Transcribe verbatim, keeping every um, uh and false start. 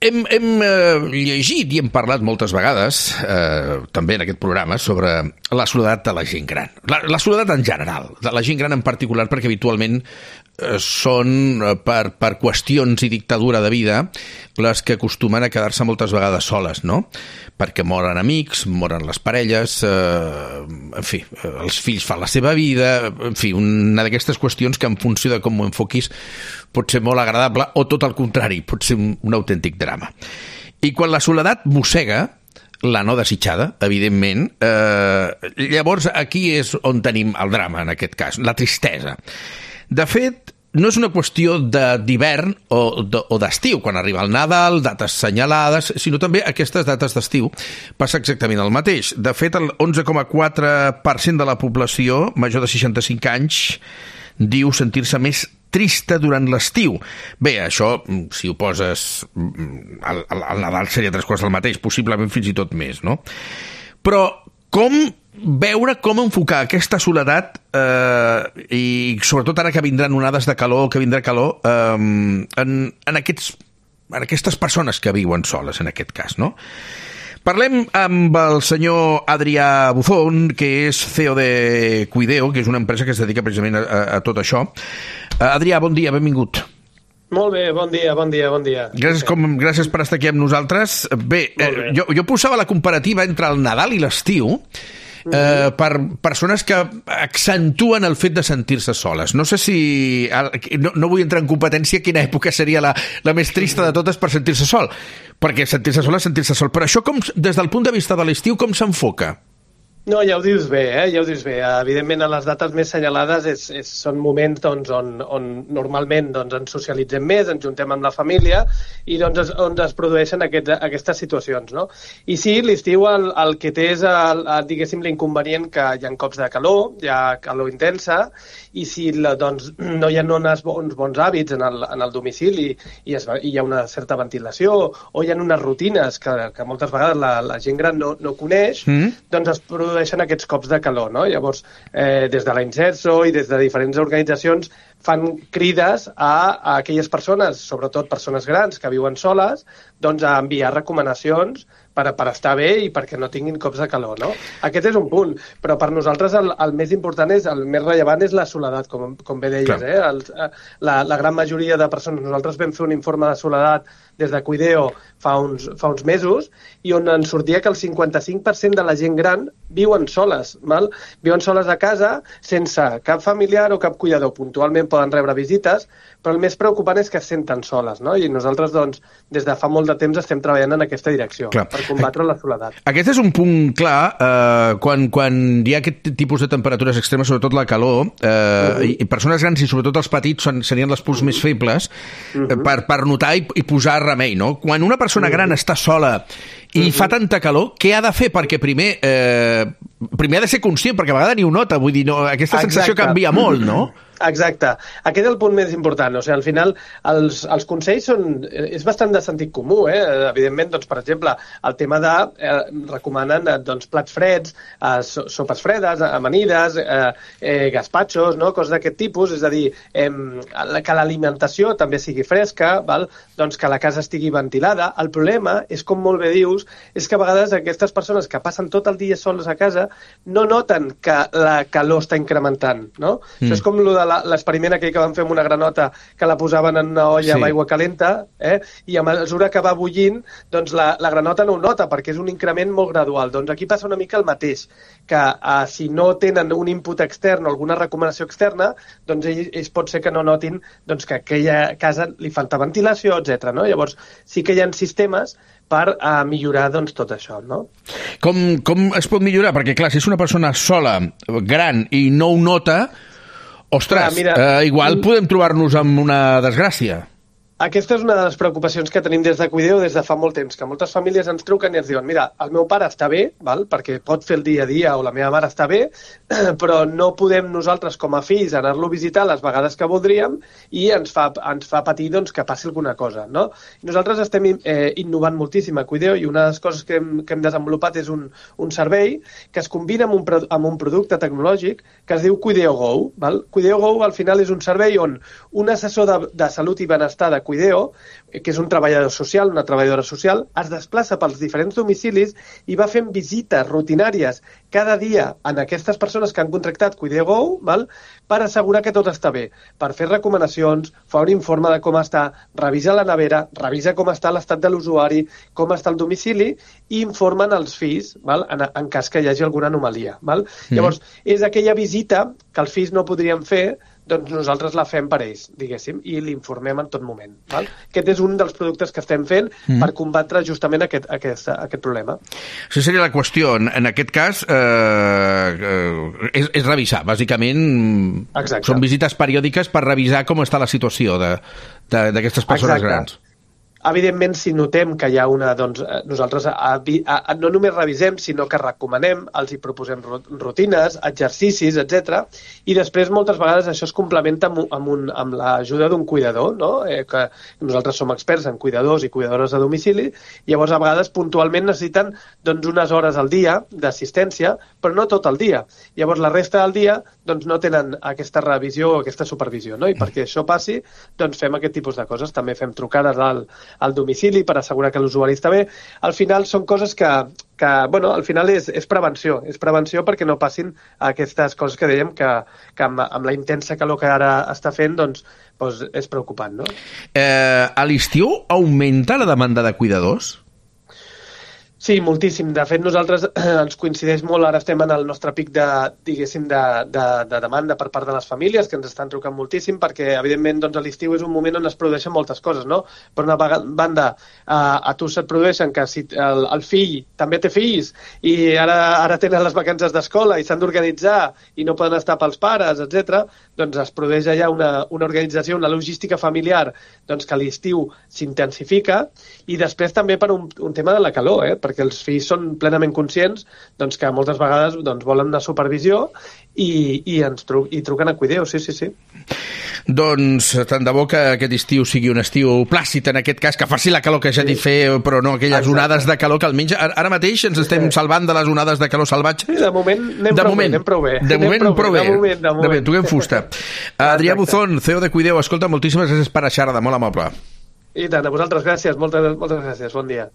hem, hem eh, llegit i hem parlat moltes vegades, eh, també en aquest programa, sobre la soledat de la gent gran. La, la soledat en general, de la gent gran en particular, perquè habitualment eh, són, eh, per, per qüestions i dictadura de vida, les que acostumen a quedar-se moltes vegades soles, no? Perquè moren amics, moren les parelles, eh, en fi, els fills fan la seva vida, en fi, una d'aquestes qüestions que en funció de com ho enfoquis pot ser molt agradable o tot el contrari, pot ser un, un autèntic drama. I quan la soledat mossega, la no desitjada, evidentment, eh, llavors aquí és on tenim el drama, en aquest cas, la tristesa. De fet, no és una qüestió d'hivern o d'estiu, quan arriba el Nadal, dates senyalades, sinó també aquestes dates d'estiu passa exactament el mateix. De fet, el onze coma quatre per cent de la població major de seixanta-cinc anys diu sentir-se més trista durant l'estiu. Bé, això, si ho poses al, al Nadal seria tres quarts del mateix, possiblement fins i tot més, no? Però com veure com enfocar aquesta soledat eh, i sobretot ara que vindran onades de calor, que vindrà calor, eh, en, en, aquests, en aquestes persones que viuen soles, en aquest cas, no? Parlem amb el senyor Adrià Buzón, que és C E O de Cuideo, que és una empresa que es dedica precisament a, a, a tot això. Uh, Adrià, bon dia, benvingut. Molt bé, bon dia, bon dia, bon dia. Gràcies, com, gràcies per estar aquí amb nosaltres. Bé, bé. Eh, jo, jo posava la comparativa entre el Nadal i l'estiu, Eh, per persones que accentuen el fet de sentir-se soles. No sé si... No, no vull entrar en competència quina època seria la, la més trista de totes per sentir-se sol, perquè sentir-se sol és sentir-se sol. Però això, com, des del punt de vista de l'estiu, com s'enfoca? No, ja ho dius bé, eh? ja ho dius bé. Evidentment, a les dates més senyalades és, és, són moments doncs, on, on normalment doncs, ens socialitzem més, ens juntem amb la família i doncs, es, on es produeixen aquest, aquestes situacions. No? I sí, l'estiu el, el que té és, el, el, diguéssim, l'inconvenient que hi ha cops de calor, hi ha calor intensa, i si la, doncs, no hi ha uns bons, bons hàbits en el, en el domicili i, es, i hi ha una certa ventilació o hi ha unes rutines que, que moltes vegades la, la gent gran no, no coneix, mm. doncs es produeixen aquests cops de calor. No? Llavors, eh, des de la Inserso i des de diferents organitzacions fan crides a, a aquelles persones, sobretot persones grans que viuen soles, doncs a enviar recomanacions per, per estar bé i perquè no tinguin cops de calor. No? Aquest és un punt, però per nosaltres el, el més important és, el més rellevant és la soledat, com, com bé deies. Eh? El, la, la gran majoria de persones, nosaltres vam fer un informe de soledat des de Cuideo fa uns, fa uns mesos i on ens sortia que el cinquanta-cinc per cent de la gent gran viuen soles, val? Viuen soles a casa sense cap familiar o cap cuidador. Puntualment poden rebre visites, però el més preocupant és que es senten soles, no? I nosaltres, doncs, des de fa molt de temps estem treballant en aquesta direcció, clar, per combatre la soledat. Aquest és un punt clar, eh, quan, quan hi ha aquest tipus de temperatures extremes, sobretot la calor, eh, uh-huh. i, i persones grans i sobretot els petits són, serien les punts uh-huh. més febles, uh-huh. eh, per, per notar i, i posar remei, no? Quan una persona gran està sola i uh-huh. fa tanta calor, què ha de fer? Perquè primer, eh, primer ha de ser conscient, perquè a vegades ni ho nota, vull dir, no, aquesta Exacte. sensació canvia molt, no? Exacte. Aquest és el punt més important. O sigui, al final, els, els consells són... És bastant de sentit comú, eh? Evidentment, doncs, per exemple, el tema de... Eh, recomanen doncs, plats freds, eh, sopes fredes, amanides, eh, eh, gaspatxos, no? Coses d'aquest tipus. És a dir, eh, que l'alimentació també sigui fresca, val? Doncs que la casa estigui ventilada. El problema és, com molt bé dius, és que a vegades aquestes persones que passen tot el dia soles a casa no noten que la calor està incrementant, no? Mm. Això és com lo de l'experiment aquell que van fer amb una granota que la posaven en una olla sí. amb aigua calenta, eh? I a mesura que va bullint, doncs la, la granota no ho nota, perquè és un increment molt gradual. Doncs aquí passa una mica el mateix, que eh, si no tenen un input extern o alguna recomanació externa, doncs ells, ells pot ser que no notin doncs, que a aquella casa li falta ventilació, etcètera. No? Llavors, sí que hi ha sistemes per uh, millorar doncs, tot això, no? Com, com es pot millorar? Perquè, clar, si és una persona sola, gran, i no ho nota, ostres, ah, mira, eh, igual podem trobar-nos amb una desgràcia. Aquesta és una de les preocupacions que tenim des de Cuideo des de fa molt temps, que moltes famílies ens truquen i ens diuen mira, el meu pare està bé, val? Perquè pot fer el dia a dia o la meva mare està bé, però no podem nosaltres com a fills anar-lo a visitar les vegades que voldríem i ens fa, ens fa patir doncs, que passi alguna cosa. No? I nosaltres estem eh, innovant moltíssim a Cuideo i una de les coses que hem, que hem desenvolupat és un, un servei que es combina amb un, amb un producte tecnològic que es diu Cuideo Go. Val? Cuideo Go al final és un servei on un assessor de, de salut i benestar de Cuideo, que és un treballador social, una treballadora social, es desplaça pels diferents domicilis i va fent visites rutinàries cada dia en aquestes persones que han contractat Cuideo Go, val? Per assegurar que tot està bé, per fer recomanacions, fa un informe de com està, revisa la nevera, revisa com està l'estat de l'usuari, com està el domicili i informen els fills, val? En, en cas que hi hagi alguna anomalia. Val? Mm. Llavors, és aquella visita que els fills no podrien fer, doncs nosaltres la fem per ells, diguéssim, i l'informem en tot moment. Val? Aquest és un dels productes que estem fent mm. per combatre justament aquest, aquest, aquest problema. Això seria la qüestió. En aquest cas, eh, és, és revisar, bàsicament. Exacte. Són visites periòdiques per revisar com està la situació d'aquestes persones Exacte. grans. Evidentment, si notem que hi ha una... Doncs, nosaltres a, a, a, no només revisem, sinó que recomanem, els hi proposem rutines, exercicis, etcètera. I després, moltes vegades, això es complementa amb, amb, un, amb l'ajuda d'un cuidador, no? eh, que nosaltres som experts en cuidadors i cuidadores de domicili, i llavors, a vegades, puntualment necessiten doncs, unes hores al dia d'assistència, però no tot el dia. Llavors, la resta del dia doncs, no tenen aquesta revisió o aquesta supervisió, no? I perquè això passi, doncs fem aquest tipus de coses. També fem trucades al al domicili per assegurar que l'usuari està bé. Al final són coses que, que bueno, al final és, és prevenció, és prevenció perquè no passin aquestes coses que dèiem que, que amb, amb la intensa calor que ara està fent, doncs, doncs és preocupant, no? Eh, a l'estiu augmenta la demanda de cuidadors? Sí, moltíssim. De fet, nosaltres eh, ens coincideix molt, ara estem en el nostre pic de, diguéssim, de, de, de demanda per part de les famílies, que ens estan trucant moltíssim, perquè, evidentment, doncs, a l'estiu és un moment on es produeixen moltes coses, no? Per una banda, a, a tu se't produeixen que si el, el fill també té fills i ara, ara tenen les vacances d'escola i s'han d'organitzar i no poden estar pels pares, etcètera, doncs es produeix allà una, una organització, una logística familiar doncs, que a l'estiu s'intensifica i després també per un, un tema de la calor, eh? Perquè els fills són plenament conscients doncs, que moltes vegades doncs, volen una supervisió i, i ens tru i truquen a Cuideo, sí, sí, sí. Doncs tant de bo que aquest estiu sigui un estiu plàcid, en aquest cas, que faci la calor que ja sí. dit fer, però no aquelles Exacte. onades de calor que almenys ara mateix ens estem sí. salvant de les onades de calor salvatge. Sí, de moment anem, de prou, moment. Bé, anem prou bé. De moment prou bé. De moment, de moment. De moment, toquem fusta. Adrià Buzón, C E O de Cuideo, escolta, moltíssimes gràcies per a xerrar, de molt amable. I tant, a vosaltres gràcies, moltes, moltes gràcies, bon dia.